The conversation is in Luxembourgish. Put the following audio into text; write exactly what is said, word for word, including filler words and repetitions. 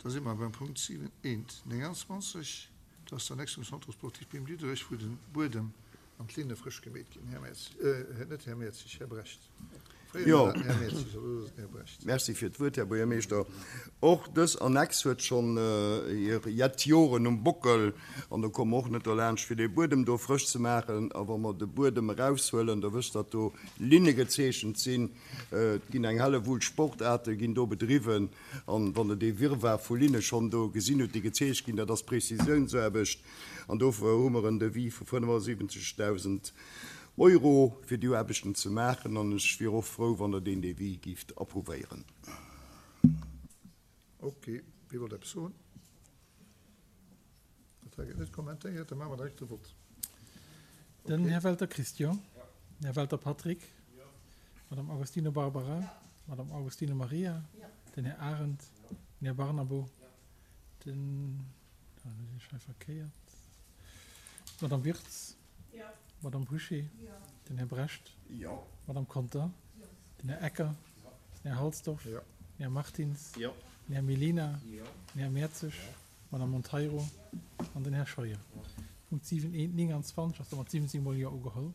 Da si mer beim Punkt siwen eent nénganzwanzeg. Dat ass d'Annex vum Centre sportif Beam Diderich, wou de Buedem an d'Linne frësch gemeet ginn. Här Mertzig, äh, net Här Mertzig, Här Brecht. Fréier war dat den Här Mertzig, awer elo ass et den Här Brecht. Merci fir d'Wuert, Här Buergermeeschter. Och dës Annex huet schonn hir jett Joren um Bockel an do komme mer och net derlaanscht, fir dee Buedem do frësch ze maachen. A wa mer de Buedem eraushuelen, da wësst Der, datt do Linne gezeechent sinn. Et ginn eng Hellewull Sportaarte ginn do bedriwwen. An wann Der dee Wirrwarr vu Linne schonn do gesinn hutt, déi gezeecht ginn, dat ass Präzisiounsaarbecht. An dofir hu mer en Devis vu fënnefasiwwenzegdausend Euro, fir déi Aarbechten ze maachen. An ech wier och frou, wann Der deen Devis gift approuvéieren. Ok, wie wollt eppes soen? Dat hei gëtt net kommentéiert, da maache mer direkt de Vott. Den Här Welter Christian. Den Här Welter Patrick. D'Madame Agostino Barbara. D'Madame Agostino Maria. Den Här Arendt. Den Här Barnabo. Den, ah, lo sinn ech hei verkéiert, d'Madame Wirtz. D'Madame Bouché. Den Här Brecht. D'Madame Conter. Den Här Ecker. Den Här Halsdorf. Den Här Martins. Den Här Mellina. Den Här Mertzig. D'Madame Monteiro an den Här Scheuer. Punkt siwen eent nénganzwanzeg ass da mat siwwenzéng mol Jo ugeholl.